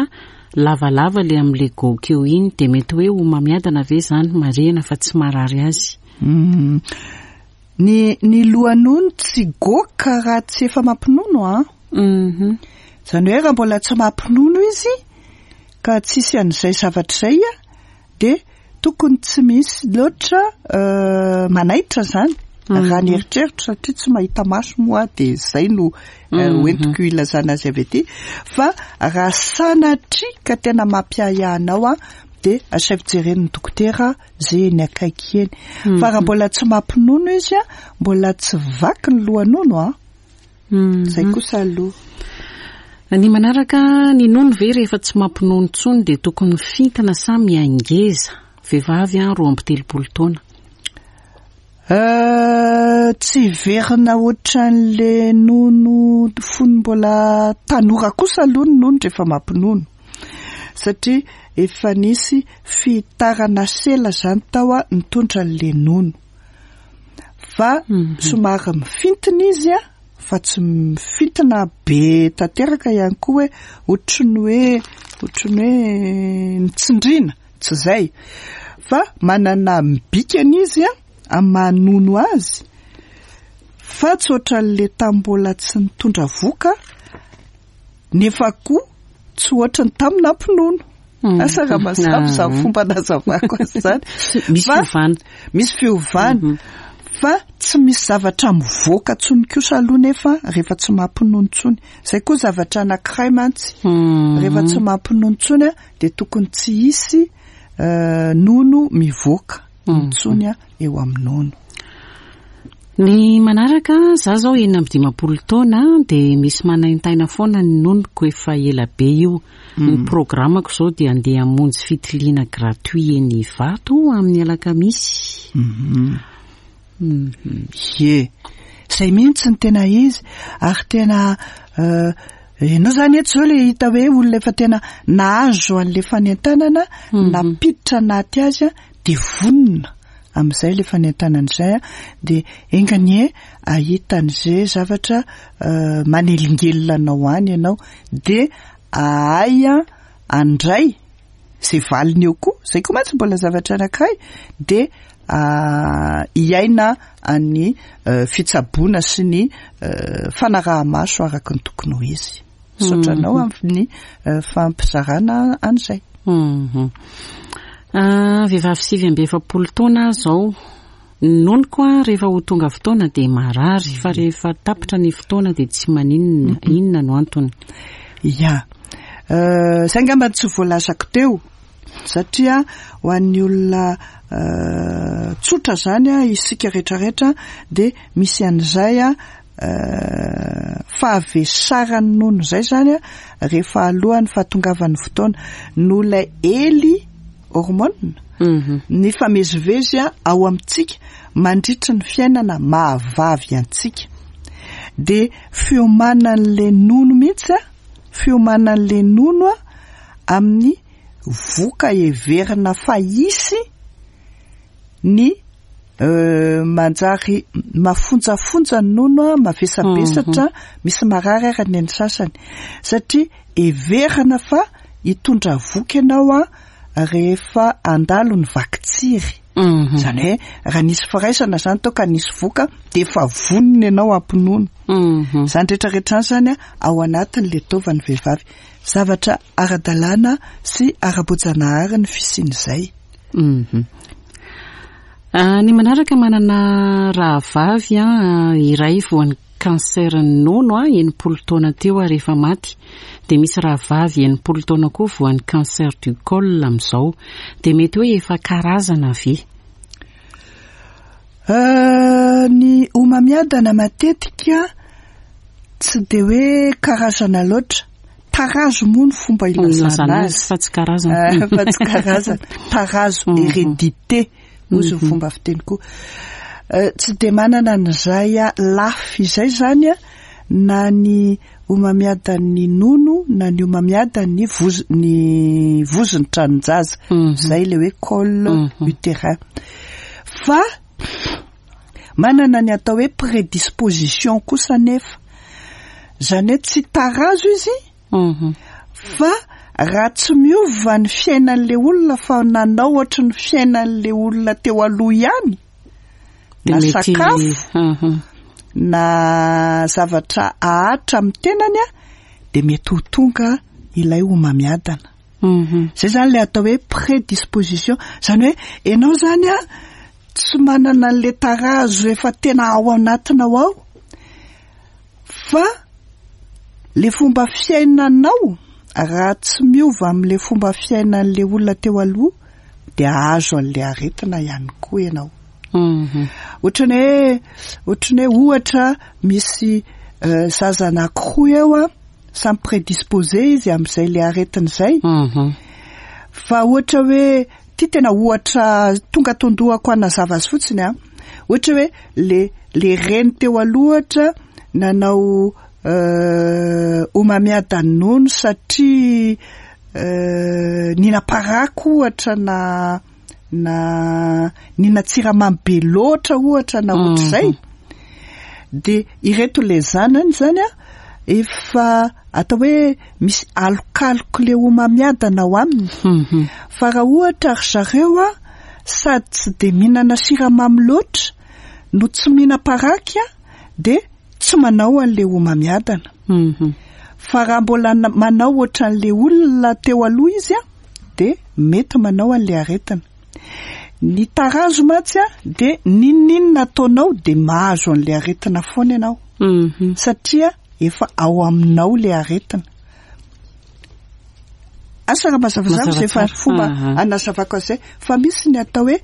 lavalava le amin'le goaka eo iny, de mety hoe homamiadana ve zany? Marihana fa tsy marary azy. Mm. Ny, ny lohanono tsy goaka raha tsy efa mampinono a. Mhm. Zany hoe raha mbola tsy mampinono izy ka tsisy an'izay zavatra izay a, de tokony tsy misy loatra, euh, manaitra zany. Mhm. Raha ny eritreritra satria tsy mahita maso moa de zay no, euh, Mhm. hoentiko ilazana azy avy aty. Fa raha sanatria ka tena mampiahiahy a, de asaivo jeren'ny dokotera zay eny akaiky eny. Fa raha Mhm. mbola tsy mampinono izy a, mbola tsy vaky ny lohanono a. Mhm. Zay kosa aloha. Ny manaraka, ny nono ve rehefa tsy mampinono intsony dia tokony fintina sa miangeza? Vehivavy a, roa amby telopolo taona. Euh, tsy verina ohatran'le nono fony mbola tanora kosa aloha ny nono rehefa mampinono, satria efa nisy fitarana sela zany tao a nitondra an'le nono, fa Mhm. somary mifintina izy a, fa tsy mifintina be tanteraka ihany koa hoe ohatran'ny hoe, ohatran'ny hoe mitsindrina, Tsy zay fa manana mibikany izy a amin'ny mahanono azy, fa tsy ohatran'le tambola tsy nitondra voka, nefa koa tsy ohatry ny tamin'ny nampinono. Asa raha mazava izany fomba nazavako azy zany. Misy fiovana. Misy fiovana, fa tsy misy zavatra mivoaka intsony kosa aloha nefa rehefa tsy mampinono intsony. Zay koa zavatra anankiray mantsy. Rehefa tsy mampinono intsony a dia tokony tsy hisy nono mivoaka intsony a eo amin'ny nono. Ny manaraka, za zao enina amby dimampolo taona, dia misy manaintaina foana ny nonoko, efa ela be io. Ny programmako zao dia andeha hamonjy fitiliana gratuit eny Ivato amin'ny alakamisy. Ye, zay mihitsy ny tena izy, ary tena ianao zany eto zao le hita hoe olona efa tena nahazo an'le fanentanana, nampiditra anaty azy a dia vonona amin'izay le fanentanana izay a dia enganie ahitan'izay zavatra manelingelina anao any ianao, dia ahay andray zay valiny eo koa. Zay koa mantsy mbola zavatra anankiray, dia hiaina any fitsaboana sy ny fanaraha-maso araka ny tokony ho izy. Misaotra anao amin'ny fampizarana an'izay. Vehivavy sivy amby efapolo taona zao. Nonoko a rehefa ho tonga fotoana dia marary, fa rehefa tapitra ny fotoana dia tsy maninona. Inona no antony? Ya, zay angamba tsy voalazako teo, satria ho an'ny olona tsotra zany a isika rehetrarehetra dia misy an'izay a fahavesaran'ny nono zay zany a rehefa alohan'ny fahatongavan'ny fotoana, noho ilay ely hormone ny famezivezy a ao amintsika mandritry ny fiainana mahavavy antsika, dia fiomanan'le nono mihitsy a fiomanan'le nono a amin'ny voka heverina fa hisy ny manjary mafonjafonja ny nono a mavesabesatra, misy marary ara ny any sasany, satria heverina fa hitondra voka ianao a rehefa andalo ny vakitsiry. Zany hoe raha nisy firaisana zany tao ka nisy voka, dia efa vonona ianao hampinono. Zany rehetrarehetra zany a ao anatin'le taovan'ny vehivavy. Zavatra ara-dalàna sy ara-boajanahary ny fisian'izay. Ny manaraka, manana rahavavy a iray voan'ny cancer ny nono a enimpolo taona teo ary efa maty, dia misy rahavavy enimpolo taona koa voan'ny cancer du col amin'izao, dia mety hoe efa karazana ve? Ny homamiadana matetika tsy de hoe karazana loatra, tarazo moa ny fomba ilazana azy fa tsy karazana. Fa tsy karazana, tarazo, hérédité ozy ny fomba fiteny koa. Tsy de manana an'izay lafy izay zany a na ny homamiadan'ny nono na ny homamiadan'ny voz ny vozony tranon-jaza, zay le hoe col utérin, fa manana ny atao hoe prédisposition kosa nefa, zany hoe tsy tarazo izy, fa raha tsy miova ny fiainan'le olona fa nanao ohatry ny fiainan'le olona teo aloha ihany, na sakafo na zavatra ahatra amin'ny tenany a dia mety ho tonga ilay homamiadana. Zay zany le atao hoe prédisposition, zany hoe ianao zany a tsy manana an'le tarazo efa tena ao anatinao ao, fa le fomba fiainanao raha tsy miova amin'le fomba fiainan'le olona teo aloha dia ahazo an'le aretina ihany koa ianao. Ohatrany hoe ohatrany hoe ohatra misy zaza anankiroa eo a samy prédisposé izy amin'izay le aretina izay, fa ohatra hoe ty tena ohatra tonga tondohako anazava azy fotsiny a ohatra hoe le le reny teo aloha ohatra nanao homamiadan'ny nono satria nihina-paraky ohatra na na nihina-tsiramamy be loatra ohatra na ohatr'izay, dia ireto le zanany zany a efa atao hoe misy alokaloka le homamiadana ao aminy. Mhm. Fa raha ohatra ry zareo a sady tsy de mihinana siramamy loatra no tsy mihinam-paraky a de tsy manao an'le homamiadana. Mhm. Fa raha mbola na- manao ohatran'le olona teo aloha izy a de mety manao an'le aretina. Ny tarazo mantsy a de n'inon'inona ataonao de mahazo an'le aretina foana ianao. Mhm. Satria efa ao aminao le aretina. Asa raha mazavazava Mazava izay fa tsara. fomba Aha. anazavako an'izay. Fa misy ny atao hoe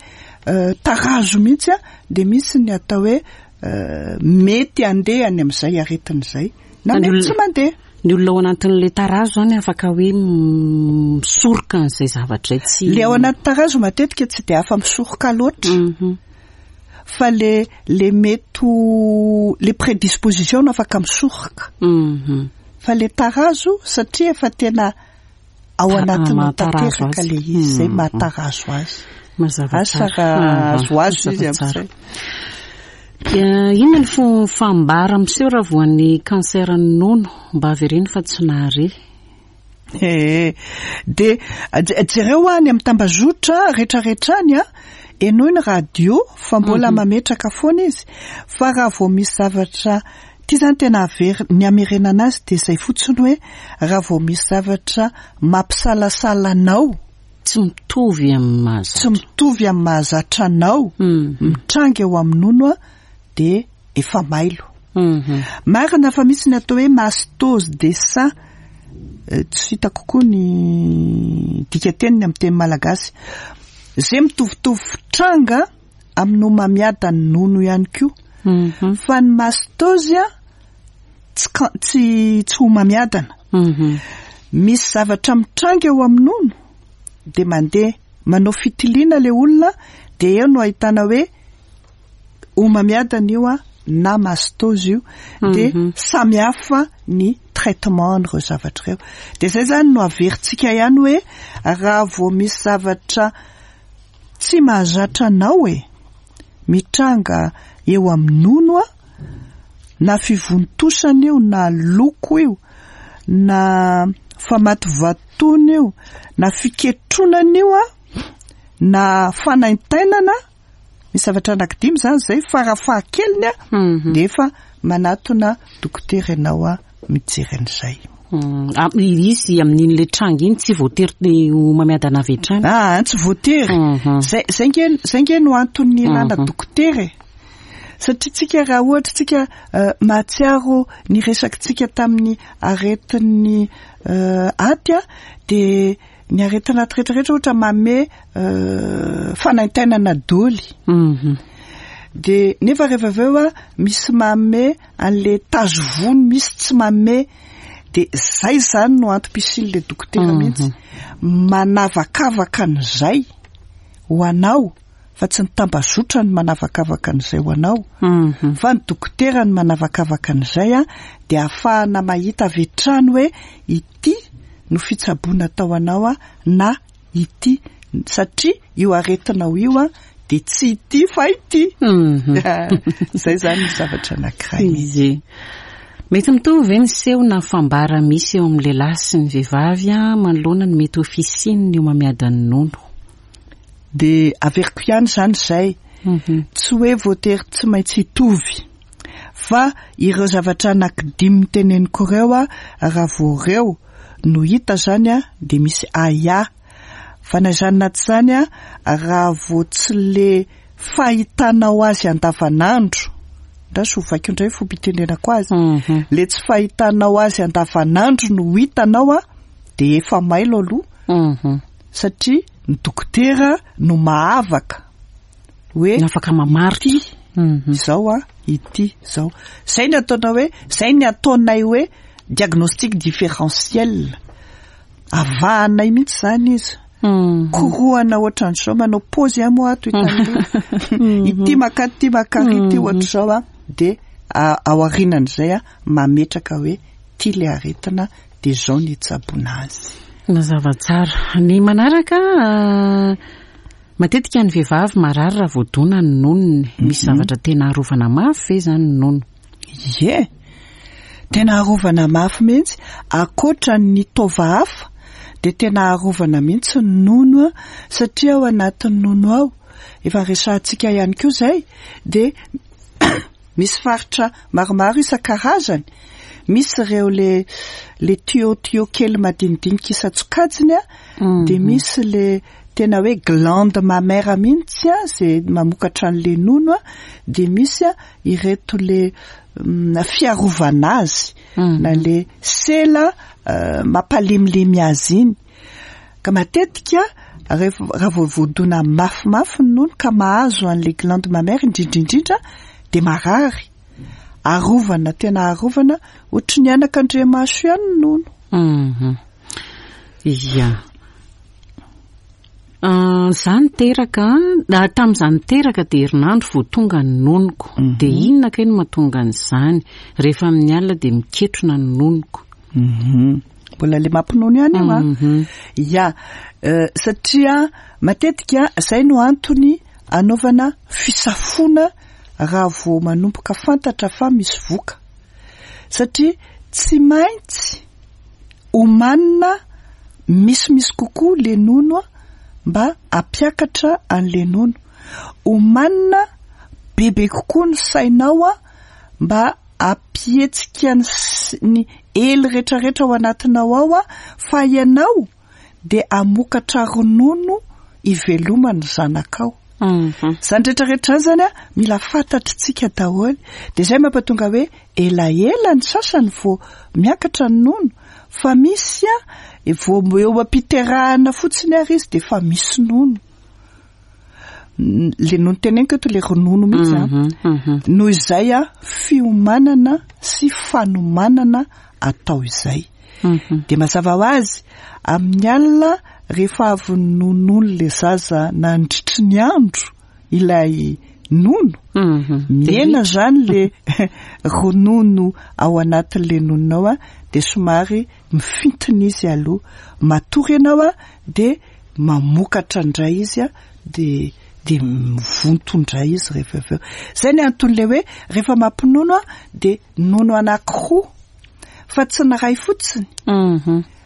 euh, tarazo mihitsy a de misy ny atao hoe euh, mety handeha any amin'izay aretina izay na Ny mety olona- tsy mandeha. Ny olona ao anatin'le tarazo zany afaka hoe misoroka an'izay zavatra izay tsy Le ao anaty tarazo matetika tsy de afa misoroka loatra. Mhm. Fa le le mety ho le prédisposition no afaka misoroka. Mhm. Fa le tarazo satria efa tena ao Ta- anatinao mahatarazo tanteraka azy. le izy izay Mhm. mahatarazo azy. Mazava Asa tsara. raha Aha, azoazo izy mazava tsara. amin'izay. Eh, Inona ny fo- fambara miseho raha voan'ny kanseran'ny nono? Mba avereno fa tsy nahare. Eh, de je- jereo any amin'ny tambazotra rehetrarehetra any a henoy ny radio fa mbola mametraka foana izy. Fa raha vao misy zavatra ty zany tena aver- ny amerenana azy de izay fotsiny hoe raha vao misy zavatra mampisalasala anao Tsy mitovy amin'ny mahazatra. tsy mitovy amin'ny mahazatra anao Mhm. mitranga eo amin'ny nono a de efa mailo. Mhm. Marina fa misy ny atao hoe mastose des seins, Eh, tsy hitako koa ny dikateniny amin'ny teny malagasy. Izay mitovitovy fitranga amin'ny homamiadan'ny nono ihany koa. Mhm. Fa ny mastose a tsy ka- tsy tsy homamiadana. Mhm. Misy zavatra mitranga eo amin'ny nono de mandeha manao fitiliana le olona de eo no ahitana hoe homamiadana io a na mastose io de Mhm. samy hafa ny traitement an'ireo zavatra ireo. De zay zany no averintsika ihany hoe raha vao misy zavatra tsy mahazatra anao e mitranga eo amin'ny nono a na fivontosana io na loko io na famatovatona io na fiketronana io a na fanaintainana, misy zavatra anankidimy zany zay farafahakeliny a Mhm. de efa manatona dokotera ianao a mijery an'izay. Mm, ah, izy amin'iny le tranga iny tsy voatery ho mamiadana avy hatrany. Ah, tsy voatery. Mhm. Zay zay nge zay nge no antony ilana Mhm. dokotera e. Satria tsika raha ohatra tsika eh, mahatsiaro ny resakitsika tamin'ny aretin'ny eh, aty a de ny aretina aty rehetrarehetra ohatra manome eh, fanaintainana doly. Mhm. De nefa rehefa avy eo a misy manome an'le tazo vony, misy tsy manome. De zay zany no antom-pisian'le dokotera Mhm. mihitsy. Manavakavaka an'izay ho anao fa tsy ny tambazotra no manavakavaka an'izay ho anao. Mhm. Fa ny dokotera no manavakavaka an'izay a de ahafahana mahita avy hatrany hoe ity no fitsaboana atao anao a na ity, satria io aretinao io a de tsy ity fa ity. Mhm. Zay zany ny zavatra anankiray. Izy. Mety mitovy ve ny seho na fambara misy eo amin'ny lehilahy sy ny vehivavy a manoloana ny mety ho fisian'ny homamiadan'ny nono? De averiko ihany zany zay. Mhm. Tsy hoe voatery tsy maintsy hitovy. Fa ireo zavatra anankidimy teneniko ireo a raha vao ireo no hita zany a de misy ahiahy. Fa na izany na tsy izany a raha vao tsy le fahitanao azy andavanandro, ndraso hovaiko indray fomba itenenako azy. Mhm. Le tsy fahitanao azy andavanandro no hitanao a de efa mailo aloha. Mhm. Satria ny dokotera no mahavaka hoe Ny afaka mamaritra. ity Mhm. izao a ity izao. Zay ny ataonao hoe, zay ny ataonay hoe diagnostic différentiel. Avahanay mihitsy zany izy. Mhm. Korohana ohatran'izao, manao pause ihany moa ato hitan'io. Ity maka ity maka ity ohatr'izao a de a- ao aorianan'izay a mametraka hoe ty le aretina de zao ny hitsaboana azy. Mazava tsara. Ny manaraka ah, matetika ny vehivavy marary raha voadona ny nonony. Misy zavatra tena arovana mafy ve zany ny nono? Ie. Tena arovana mafy mihitsy, ankoatra ny taova hafa dia tena arovana mihitsy ny nono, satria ao anatin'ny nono ao, efa resahantsika ihany koa izay, dia misy faritra maromaro isan-karazany. Misy ireo le le tuyau-tuyau kely madinidinika isan-tsokajiny a, dia misy le tena hoe glande mammaire mihitsy a, izay mamokatra an'le nono a, dia misy a ireto le fiarovana azy, na le sela mampalemilemy azy iny. Ka matetika rehefa raha vao voadona mafimafy ny nono ka mahazo an'le glande mammaire indrindra indrindra dia marary. Arovana, tena arovana, ohatry ny anakandriamaso ihany ny nono. Mhm. Ia. Za niteraka, tamin'izaho niteraka dia herinandro vao tonga ny nonoko. Dia inona kay no mahatonga an'izany? Rehefa amin'ny alina dia miketrona ny nonoko. Mhm. Mbola le mampinono ihany io a. Ia, satria matetika izay no antony anaovana fisafoana raha vao manomboka fantatra fa misy voka. Satria tsy maintsy omanina misimisy kokoa le nono mba hampiakatra an'le nono. Omanina bebe kokoa ny sainao a mba hampihetsika ny ny ely rehetrarehetra ao anatinao ao a, fa ianao dia hamokatra ronono ivelomany zanakao. Izany rehetrarehetra zany a mila fantatritsika daholo. Dia izay mampatonga hoe elaela ny sasany vao miakatra ny nono, fa misy a vao eo am-piterahana fotsiny ary izy dia efa misy nono. Le nono teneniko eto le ronono mihitsy a. Noho izay a fiomanana sy fanomanana atao izay. Dia mazava ho azy amin'ny alina rehefa avy nonono le zaza nandritry ny andro ilay nono, mihena zany le ronono ao anatin'le nononao a, dia somary mifintina izy aloha. Matory ianao a dia mamokatra indray izy a, dia dia mivonto indray izy rehefa avy eo. Izay ny anton'ilay hoe rehefa mampinono a dia nono anankiroa fa tsy ny iray fotsiny.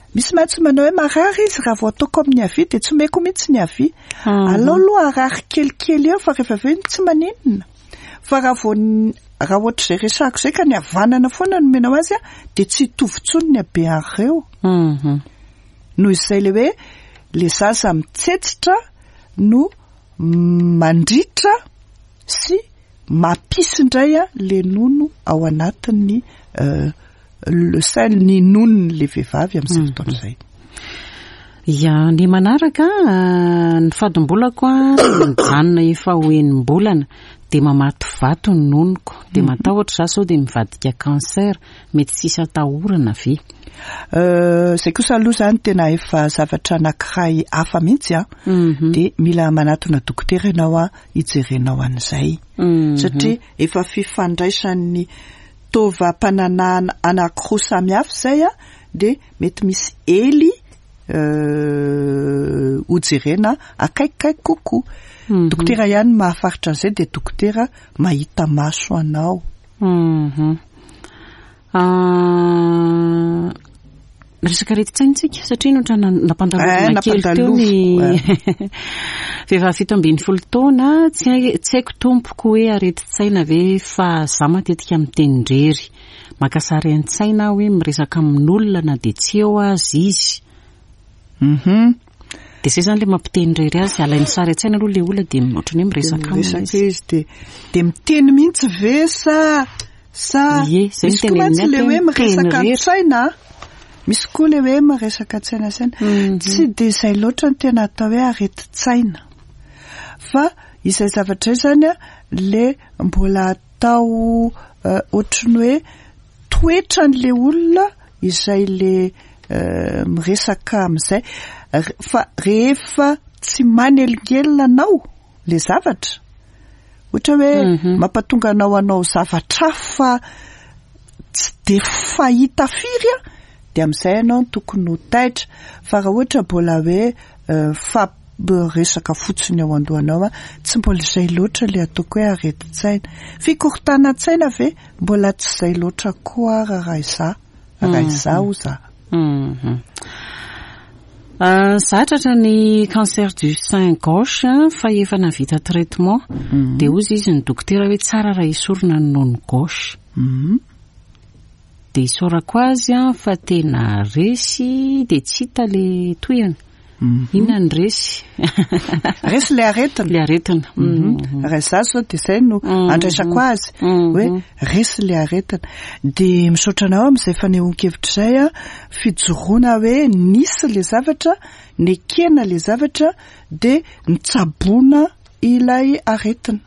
Misy mantsy manao hoe marary izy raha vao ataoko amin'ny havia dia tsy omeko mihitsy ny havia. Alao aloha harary kelikely eo fa rehefa avy eo tsy maninona. Fa raha vao raha ohatr'izay resahako izay ka ny havanana foana no omenao azy a dia tsy hitovy intsony ny habean'ireo. Noho izay le hoe le zaza mitsetsitra no mandritra sy mampisy indray a le nono ao anatin'ny le sein, ny nonony le vehivavy amin'izay fotoana izay. Ia, ny manaraka ny fadimbolako a mijanona efa ho enim-bolana dia mamato vato ny nonoko, dia matahotra za sao dia mivadika cancer, mety tsisy atahorana ve? Izay kosa aloha zany tena efa zavatra anankiray hafa mihitsy a, dia mila manatona dokotera ianao a hijerenao an'izay. Satria efa fifandraisan'ny taovam-pananahana anankiroa samihafa izay a, dia mety misy ely hojerena akaikikaiky kokoa. Dokotera ihany mahafaritra an'izay, dia dokotera mahita maso anao. Resaka aretin-tsaina tsika satria no ohatrany nampandalovina kely teo ny vehivavy fito ambin'ny folo taona, tsy hay, tsy haiko tompoko hoe aretin-tsaina ve fa za matetika miteny irery. Maka sary an-tsaina aho hoe miresaka amin'olona na dia tsy eo azy izy. Mhm. Dia izay zany le mampiteny irery azy, alainy sary an-tsaina aloha le olona dia ohatrany hoe miresaka aminy Miresaka izy. izy dia dia miteny mihitsy ve sa sa Ie, izay misy koa no mantsy teneniny le ato hoe hoe miresaka miteny irery. an-tsaina. Misy koa le hoe miresaka an-tsaina saina. Tsy dia izay loatra ny tena atao hoe aretin-tsaina. Fa izay zavatra izay zany a le mbola atao ohatry ny hoe toetran'le olona izay le miresaka amin'izay, fa rehefa tsy manelingelina anao le zavatra, ohatra hoe mampatonga anao hanao zavatra hafa tsy de fahita firy a, dia amin'izay ianao no tokony ho taitra. Fa raha ohatra mbola hoe fa Resaka fotsiny ao andohanao a, tsy mbola izay loatra le ataoko hoe aretin-tsaina. Fikorontanan-tsaina ve mbola tsy izay loatra koa raha izaho, raha izaho za. Za tratra ny cancer du sein gauche fa efa navita traitement, dia hozy izy ny dokotera hoe tsara raha esorina ny nono gauche. Dia isaorako azy a fa tena resy, dia tsy hita le tohiny. Inona ny resy? Resy le aretina. Le aretina. Raha izaho zao dia izay no andraisako azy, hoe resy le aretina. Dia misaotra anao amin'izay fanehoan-kevitra izay a, fijoroana hoe nisy le zavatra, nekena le zavatra, dia nitsaboana ilay aretina.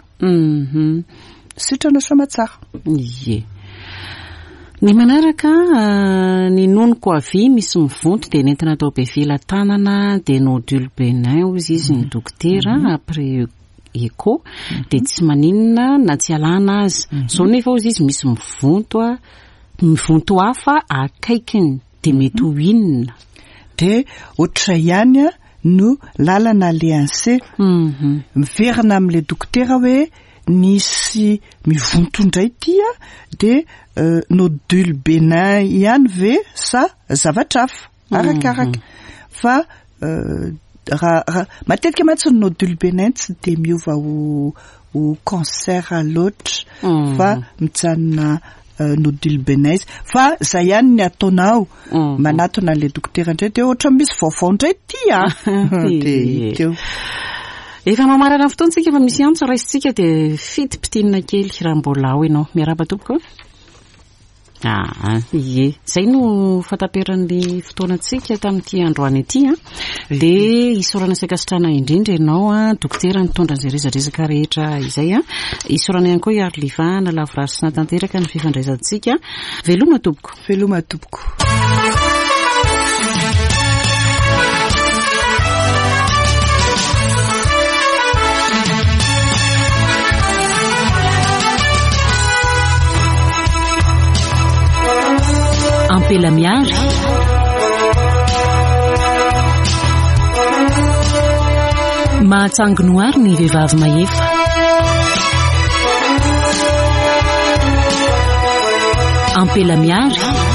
Sitrana soa tsara. Ie. Ny manaraka, ny nonoko avia misy mivonto dia nentina atao Befelatanana, dia nodule bénin hozy izy ny dokotera après écho, dia tsy maninona na tsy alana azy. Zao nefa hozy izy misy mivonto a, mivonto hafa akaikiny, dia mety ho inona? Dia ohatray ihany a no lalana alehan'se. Miverina amin'ilay dokotera hoe nisy mivonto indray ty a, dia nodule bénin ihany ve sa zavatra hafa? Arakaraka. Fa raha raha matetika mantsy ny nodule bénin tsy dia miova ho ho cancer loatra fa mijanona nodule bénin izy. Fa zay ihany ny ataonao, manatona an'ilay dokotera indray dia ohatra misy vaovao indray ty a. Dia teo. Efa mamarana ny fotoantsika fa misy antso raisintsika dia fitipitinina kely raha mbola ao ianao. Miarahaba tompoko. Ah, ie. Zay no fataperan'ny fotoanantsika tamin'ity androany ity a. Dia isaorana sy ankasitrahana indrindra ianao a, dokotera nitondra an'izay resadresaka rehetra izay a. Isaorana ihany koa i Arliva nalavorary sy natanteraka ny fifandraisantsika. Veloma tompoko. Veloma tompoko. Ampela miary. Mahatsangonoary ny vehivavy mahefa. Ampela miary.